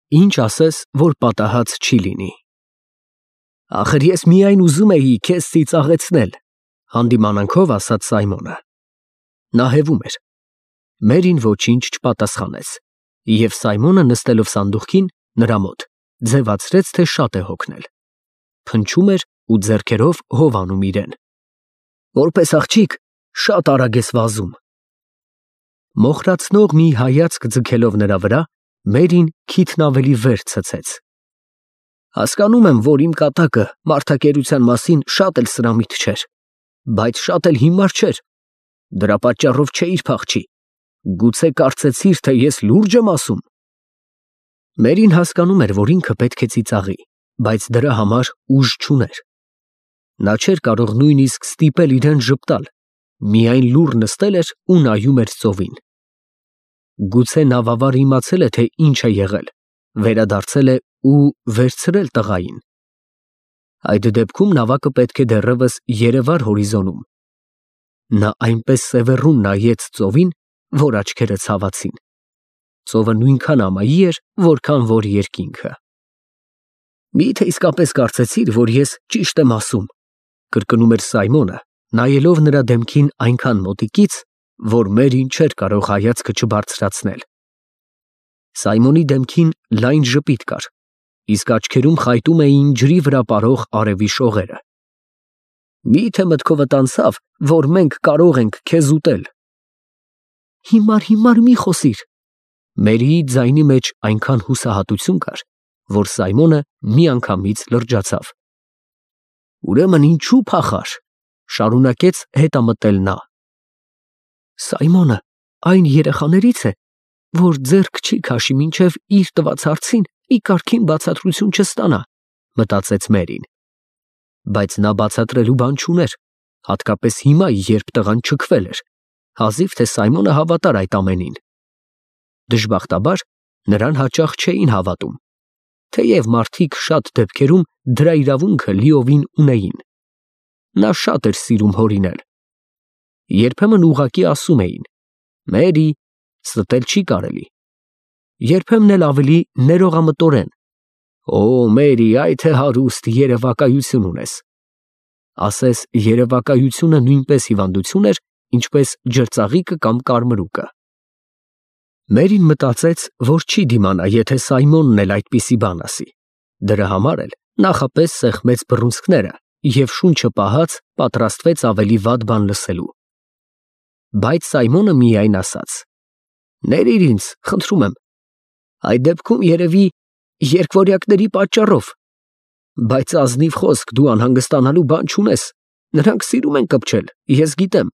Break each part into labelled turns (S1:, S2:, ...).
S1: Ինչ ասես, որ պատահած չի լինի։ Ախր ես միայն ուզում էի քեզ ծիծաղեցնել, հանդիմանանքով ասաց Սայմոնը։ Նա հևում էր։ Մերին ոչինչ չպատասխանեց, և Սայմոնը նստելով սանդուղքին նրա մոտ, ձևացրեց, թե շատ է հոգնել։ Փնչում էր ու ձեռքերով հով անում իրեն։ Որպես աղջիկ շատ արագ ես վազում։ Մոխրացնող մի հայացք ձգելով նրա վրա, Մերին քիթն ավելի վեր ցցեց։ Հասկանում եմ, որ իմ կատակը մարդակերության մասին շատ էլ սրամիտ չէր, բայց շատ էլ հիմար չէր։ Դրա պատճառով չէիր փախչի։ Գուցե կարծեցիր, թե ես լուրջ եմ ասում։ Մերին հասկանում էր, որ ինքը պետք է ծիծաղի, բայց դրա համար ուժ չուներ։ Նա չէր կարող նույնիսկ ստիպել իրեն ժպտալ, միայն լուռ նստել էր ու նայում էր ծովին։ Գուցե նավավարը իմացել է, թե ինչ է եղել, վերադարձել է ու վերցրել տղային։ Այդ դեպքում նավակը պետք է դեռևս երևար հորիզոնում։ Նա այնպես սևեռուն նայեց ծովին, որ աչքերը ցավացին։ Ծովը նույնքան ամայի էր, որքան որ երկինքը։ Մի՞թե իսկապես կարծեցիր, որ ես ճիշտ եմ ասում, կրկնում էր Սայմոնը, նայելով նրա դեմքին այնքան մոտիկից, որ Մերին չէր կարող հայացքը չբարձրացնել։ Սայմոնի դեմքին լայն ժպիտ կար, իսկ աչքերում խայտում էին ջրի վրա պարող արևի շողերը։ Մի՞թե մտքովդ անցավ, որ մենք կարող ենք քեզ ուտել։ Հիմար մի խոսիր։ Մերիի ձայնի մեջ այնքան հուսահատություն կար, որ Սայմոնը միանգամից լրջացավ։ Ուրեմն ինչու փախար, շարունակեց հետամտել նա։ Սայմոնը այն երեխաներից է, որ ձեռք չի քաշի մինչև իր տված հարցին մի կարգին բացատրություն չստանա, մտածեց Մերին։ Բայց նա բացատրելու բան չուներ, հատկապես հիմա, երբ տղան չքվել էր, հազիվ թե Սայմոնը հավատար այդ ամենին։ Դժբախտաբար նրան հաճախ չէին հավատում, թեև մարդիկ շատ դեպքերում դրա իրավունքը լիովին ունեին։ Նա շատ էր սիրում հորինել։ Երբեմն ուղղակի ասում էին. Մերի, ստել չի կարելի։ Երբեմն էլ ավելի ներողամտորեն. Օ, Մերի, այ թե հարուստ երևակայություն ունես։ Ասես երևակայությունը նույնպես հիվանդություն էր, ինչպես ջրծաղիկը կամ կարմրուկը։ Մերին մտածեց, որ չի դիմանա, եթե Սայմոնն էլ այդպիսի բան ասի։ Դրա համար էլ նախապես սեղմեց բռունցքները և շունչը պահած պատրաստվեց ավելի վատ բան լսելու։ Բայց Սայմոնը միայն ասաց. Ներիր ինձ, խնդրում եմ, այդ դեպքում երևի երկվորյակների պատճառով, բայց ազնիվ խոսք, դու անհանգստանալու բան չունես, նրանք սիրում են կպչել, ես գիտեմ,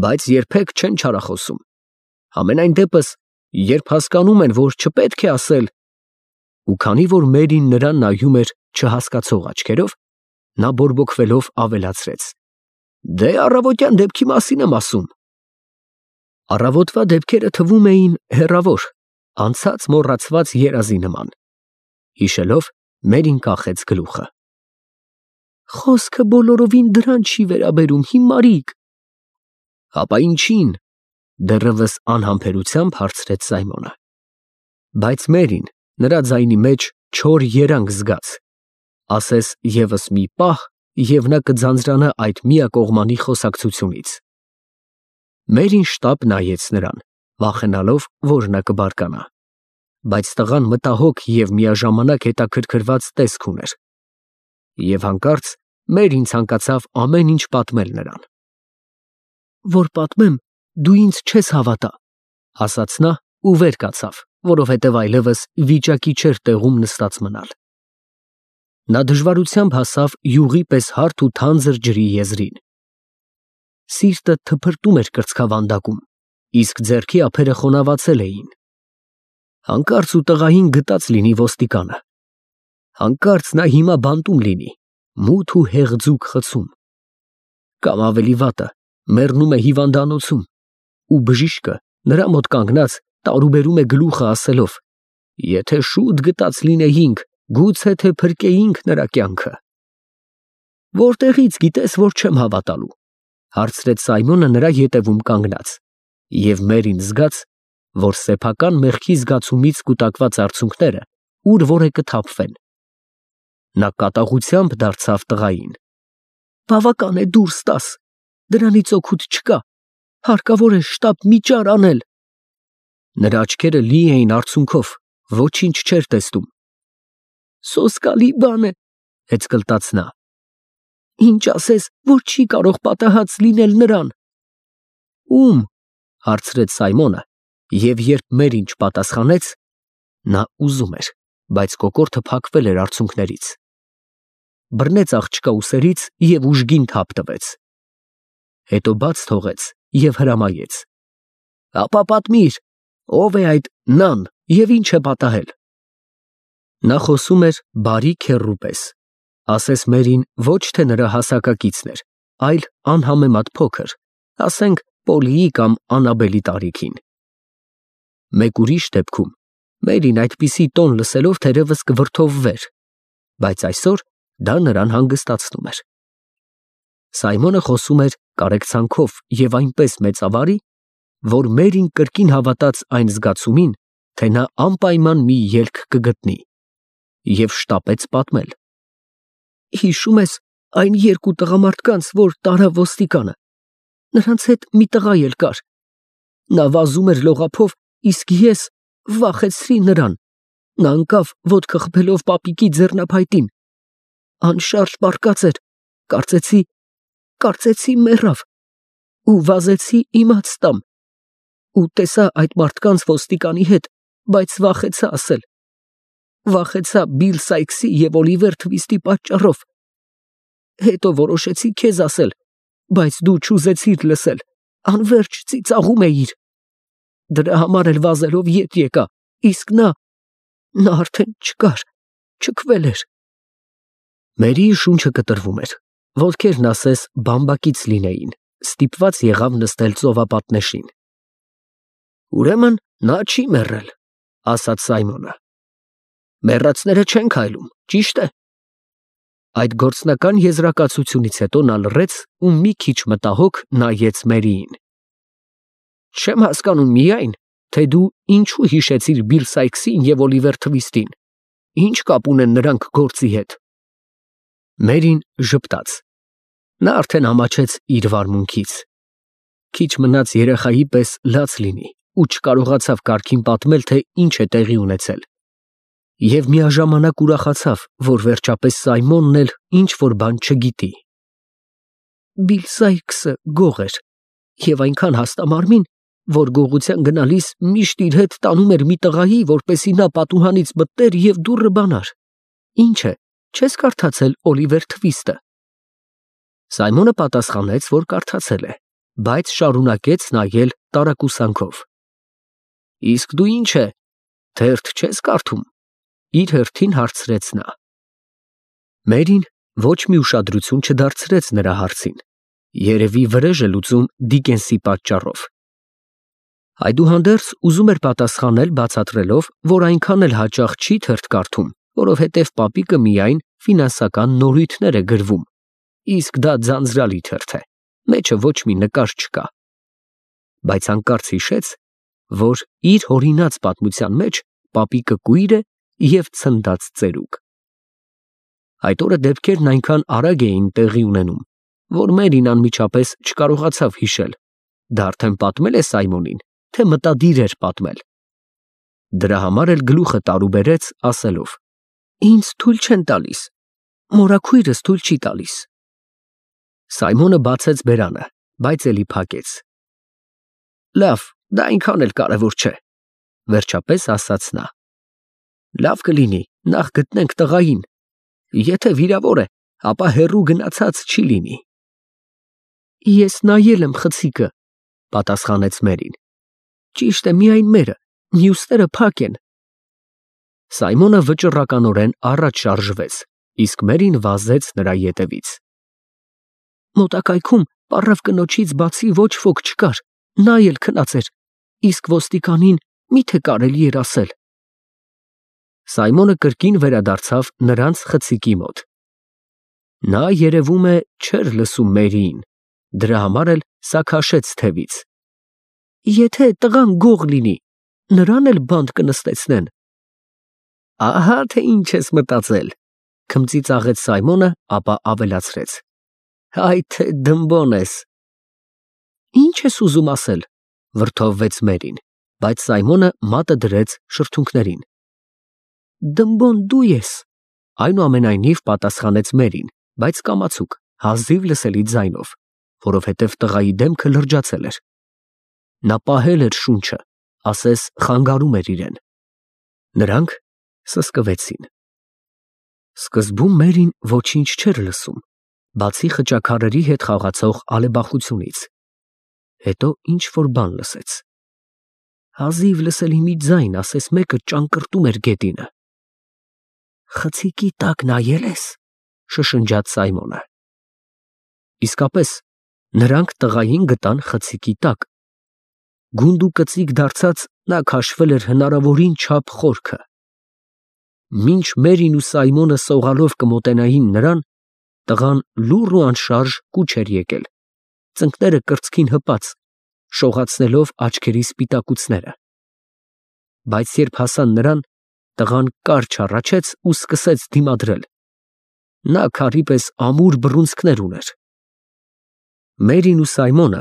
S1: բայց երբեք չեն չարախոսում։ Համենայն դեպս, երբ հասկանում են, որ չպետք է ասել, ու քանի որ Մերին նրան նայում էր չհասկացող աչքերով, նա բորբոքվելով ավելացրեց. Դե առավոտյան դեպքի մասին եմ ասում։ Առավոտվա դեպքերը թվում էին հեռավոր, անցած մոռացված երազի նման։ Հիշելով, Մերին կախեց գլուխը։ Խոսքը բոլորովին դրան չի վերաբերում, հիմարիկ։ Հապա ինչին, դեռևս անհամբերությամբ հարցրեց Սայմոնը։ Բայց Մերին նրա ձայնի մեջ չոր երանգ զգաց, ասես ևս մի պահ, և նա կձանձրանա այդ միակողմանի խոսակցությունից։ Մերին շտապ նայեց նրան, վախենալով, որ նա կբարկանա, բայց տղան մտահոգ և միաժամանակ հետաքրքրված տեսք ուներ։ Եվ հանկարծ Մերին ցանկացավ ամեն ինչ պատմել նրան։ Որ պատմեմ, դու ինձ չես հավատա, ասաց նա ու վեր կացավ, որովհետև այլևս վիճակի չէր տեղում նստած մնալ։ Նա դժվարությամբ հասավ յուղի պես հարթ ու թանձր ջրի եզրին։ Սիրտը թփրտում էր կրծքավանդակում, իսկ ձեռքի ափերը խոնավացել էին։ Հանկարծ ու տղային գտած լինի ոստիկանը։ Հանկարծ նա հիմա բանտում լինի, մութ ու հեղձուկ խցում։ Կամ ավելի վատը, մեռնում է հիվանդանոցում, ու բժիշկը նրա մոտ կանգնած տարուբերում է գլուխը ասելով. Եթե շուտ գտած լինեինք, գուցե թե փրկեինք նրա կյանքը։ Որտեղից գիտես, որ չեմ հավատալու, հարցրեց Սայմոնը նրա ետևում կանգնած, և Մերին զգաց, որ սեփական մեղքի զգացումից կուտակված արցունքները ուր որ է կթափվեն։ Նա կատաղությամբ դարձավ տղային. «Բավական է դուրս տաս, դրանից օգուտ չկա, հարկավոր է շտապ միջար անել»։ Նրա աչքերը լի էին արցունքով, ոչինչ չէր տեսնում։ «Սոսկալի բան է», հեծկլտաց նա։ «Ինչ ասես, որ չի կարող պատահած լինել նրան»։ «Ում»։ հարցրեց Սայմոնը, և երբ Մերին չպատասխանեց, նա ուզում էր, բայց կոկորդը փակվել էր արցունքներից։ Բռնեց աղջկա ուսերից և ուժգին թափ տվեց։ Հետո բաց թողեց և հրամայեց. «Ապա պատմիր, ով է այդ նան և ինչ է պատահել»։ Նա խոսում էր բարի քեռու պես, ասես Մերին ոչ թե նրա հասակակիցն էր, այլ անհամեմատ փոքր, ասենք Պոլիի կամ Անաբելի տարիքին։ Մեկ ուրիշ դեպքում Մերին այդպիսի տոն լսելով թերևս կվրդովվեր, բայց այսօր դա նրան հանգստացնում էր։ Սայմոնը խոսում էր կարեկցանքով և այնպես մեծավարի, որ Մերին կրկին հավատաց այն զգացումին, թե նա անպայման մի ելք կգտնի, և շտապեց պատմել. «Հիշում ես այն երկու տղամարդկանց, որ տարավ ոստիկանը, նրանց հետ մի տղա էլ կար։ Նա վազում էր լողափով, իսկ ես վախեցրի նրան։ Նա ընկավ ոտքը խփելով պապիկի ձեռնափայտին։ Անշարժ պառկած էր, կարծեցի մեռավ, ու վազեցի իմաց տամ, ու տեսա այդ մարդկանց ոստիկանի հետ, բայց վախեցա ասել։ Վախեցա Բիլ Սայքսի և Օլիվեր Թվիստի պատճառով։ Հետո որոշեցի քեզ ասել, բայց դու չուզեցիր լսել, անվերջ ծիծաղում էիր։ Դրա համար էլ վազելով ետ եկա, իսկ նա արդեն չկար, չքվել էր»։ Մերիի շունչը կտրվում էր, ոտքերն ասես բամբակից լինեին, ստիպված եղավ նստել ծովապատնեշին։ «Ուրեմն նա չի մեռել», ասաց Սայմոնը։ «Մեռածները չեն քայլում, ճիշտ է»։ Այդ գործնական եզրակացությունից հետո նա լռեց ու մի քիչ մտահոգ նայեց Մերիին։ «Չեմ հասկանում միայն, թե դու ինչու հիշեցիր Բիլ Սայքսին և Օլիվեր Թվիստին, ինչ կապ ունեն նրանք գործի հետ»։ Մերին ժպտաց։ Նա արդեն ամաչեց իր վարմունքից։ Քիչ մնաց երեխայի պես լաց լինի ու չկարողացավ կարգին պատմել, թե ինչ է տեղի ունեցել։ Եվ միաժամանակ ուրախացավ, որ վերջապես Սայմոնն էլ ինչ-որ բան չգիտի։ Բիլ Սայքսը գող էր և այնքան հաստամարմին, որ գողության գնալիս միշտ իր հետ տանում էր մի տղայի, որպեսզի նա պատուհանից մտներ և դուռը բանար։ Ինչ է, չես կարդացել Օլիվեր Թվիստը։ Սայմոնը պատասխանեց, որ կարդացել է, բայց շարունակեց նայել տարակուսանքով։ Իսկ դու ինչ է, թերթ չես կարդում, իր հերթին հարցրեց նա։ Մերին ոչ մի ուշադրություն չդարձրեց նրա հարցին, երևի վրեժ է լուծում Դիկենսի պատճառով։ Այդուհանդերձ ուզում էր պատասխանել բացատրելով, որ այնքան էլ հաճախ չի թերթ կարդում, որովհետև պապիկը միայն ֆինանսական նորույթներ է գրվում, իսկ դա ձանձրալի թերթ է, մեջը ոչ մի նկար չկա։ Բայց հանկարծ հիշեց, որ իր հորինած պատմության մեջ պապիկը կույր է և ցնդած ծերուկ։ Այդ օրը դեպքերն այնքան արագ էին տեղի ունենում, որ Մերին անմիջապես չկարողացավ հիշել, դա արդեն պատմել է Սայմոնին, թե մտադիր էր պատմել։ Դրա համար էլ գլուխը տարուբերեց, ասելով. «Ինձ թույլ չեն տալիս, մորաքույրս թույլ չի տալիս»։ Սայմոնը բացեց բերանը, բայց էլի փակեց։ «Լավ, դա այնքան էլ կարևոր չէ», վերջապես ասաց նա։ «Լավ կլինի, նախ գտնենք տղային։ Եթե վիրավոր է, ապա հեռու գնացած չի լինի»։ «Ես նայել եմ խցիկը», պատասխանեց Մերին։ «Ճիշտ է միայն մերը, մյուսները փակ են»։ Սայմոնը վճռականորեն առաջ շարժվեց, իսկ Մերին վազեց նրա ետևից։ Մոտակայքում պառավ կնոջից բացի ոչ ոք չկար, նա էլ քնած էր, իսկ ոստիկանին մի՞թե կարելի էր ասել։ Սայմոնը կրկին վերադարձավ նրանց խցիկի մոտ։ Նա, երևում է, չէր լսում Մերիին, դրա համար էլ սաքաշեց թևից։ Եթե տղան գող լինի, նրան էլ բանտ կնստեցնեն։ Ահա թե ինչ ես մտածել, քմծիծաղեց Սայմոնը, ապա ավելացրեց. Հայ թե դմբոն ես։ Ինչ ես ուզում ասել, վրդովվեց Մերին, բայց Սայմոնը մատը դրեց շրթունքներին։ Դմբոն դու ես, այնուամենայնիվ պատասխանեց Մերին, բայց կամացուկ, հազիվ լսելի ձայնով, որովհետև տղայի դեմքը լրջացել էր։ Նա պահել էր շունչը, ասես խանգարում էր իրեն։ Նրանք սսկվեցին։ Սկզբում Մերին ոչինչ չէր լսում, բացի խճաքարերի հետ խաղացող ալեբախությունից։ Հետո ինչ-որ բան լսեց։ Հազիվ լսելի մի ձայն, ասես մեկը ճանկռտում էր գետինը։ Խցիկի տակ նայել ես, շշնջաց Սայմոնը։ Իսկապես, նրանք տղային գտան խցիկի տակ։ Գունդ ու կծիկ դարձած նա քաշվել էր հնարավորին չափ խորքը։ Մինչ Մերին ու Սայմոնը սողալով կմոտենային նրան, տղան լուռ ու անշարժ կուչ էր եկել, ծնկները կրծքին հպած, շողացնելով աչքերի սպիտակուցները։ Բայց երբ հասան նրան, տղան կարճ հառաչեց ու սկսեց դիմադրել։ Նա քարի պես ամուր բռունցքներ ուներ։ Մերին ու Սայմոնը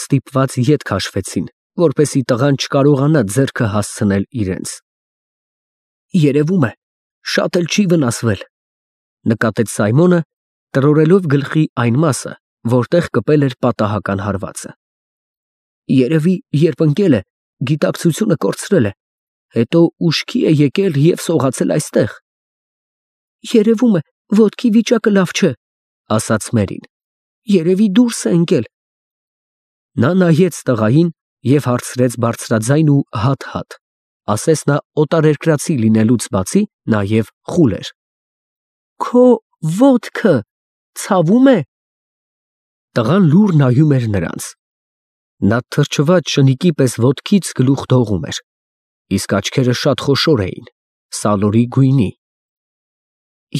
S1: ստիպված ետ քաշվեցին, որպեսզի տղան չկարողանա ձեռքը հասցնել իրենց։ Երևում է, շատ էլ չի վնասվել, նկատեց Սայմոնը, տրորելով գլխի այն մասը, որտեղ կպել էր պատահական հարվածը։ Երևի, երբ ընկել է, գիտակցությունը կորցրել է, հետո ուշքի է եկել և սողացել այստեղ։ Երևում է, ոտքի վիճակը լավ չէ, ասաց Մերին։ Երևի դուրս է ընկել։ Նա նայեց տղային և հարցրեց բարձրաձայն ու հատ-հատ, ասես նա օտարերկրացի լինելուց բացի նաև խուլ էր։ Քո ոտքը ցավում է։ Տղան լուռ նայում էր նրանց։ Նա թրջված շնիկի պես ոտքից գլուխ դողում էր, իսկ աչքերը շատ խոշոր էին, սալորի գույնի։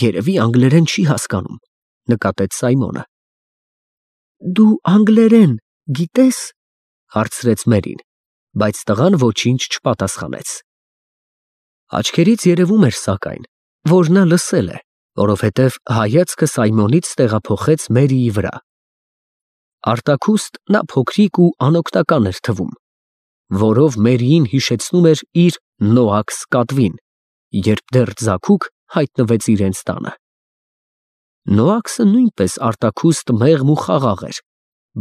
S1: Երևի անգլերեն չի հասկանում, նկատեց Սայմոնը։ Դու անգլերեն գիտես, հարցրեց Մերին, բայց տղան ոչինչ չպատասխանեց։ Աչքերից երևում էր սակայն, որ նա լսել է, որովհետև հայացքը Սայմոնից տեղափոխեց Մերիի վրա։ Արտաքուստ նա փոքրիկ ու անօգնական էր թվում, որով Մերիին հիշեցնում էր իր Նոաքս կատվին, երբ դեռ ձագուկ հայտնվեց իրենց տանը։ Նոաքսը նույնպես արտաքուստ մեղմ ու խաղաղ էր,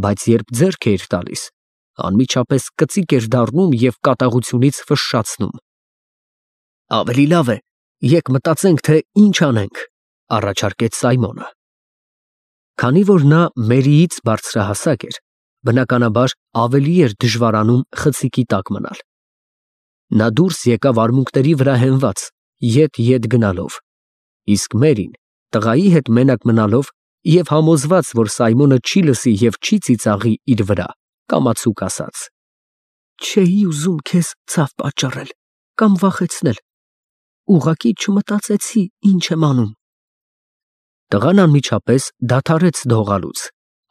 S1: բայց երբ ձեռք էր տալիս, անմիջապես կծիկ էր դառնում և կատաղությունից ֆշշացնում։ Ավելի լավ է, եկ մտածենք, թե ինչ անենք, առաջարկեց Սայմոնը։ Քանի որ նա Մերիից բարձրահասակ էր, բնականաբար ավելի էր դժվարանում խցիկի տակ մնալ։ Նա դուրս եկավ արմունկների վրա հենված, ետ գնալով, իսկ Մերին տղայի հետ մենակ մնալով և համոզված, որ Սայմոնը չի լսի և չի ծիծաղի իր վրա, կամացուկ ասաց. Չէի ուզում քեզ ցավ պատճառել կամ վախեցնել, ուղղակի չմտածեցի ինչ եմ անում։ Տղան անմիջապես դադարեց դողալուց,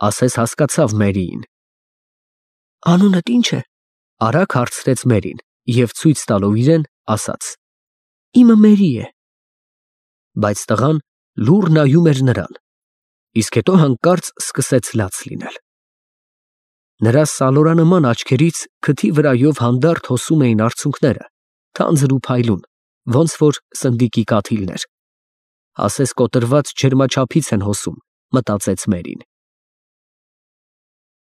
S1: ասես հասկացավ Մերիին։ Անունդ ի՞նչ է, արագ հարցրեց Մերին և ցույց տալով իրեն, ասաց. Իմը Մերի է։ Բայց տղան լուռ նայում էր նրան, իսկ հետո հանկարծ սկսեց լաց լինել։ Նրա սալորանման աչքերից քթի վրայով հանդարտ հոսում էին արցունքները, թանձր ու փայլուն, ոնց որ սնդիկի կաթիլներ։ Ասես կոտրված ջերմաչափից են հոսում, մտածեց Մերին։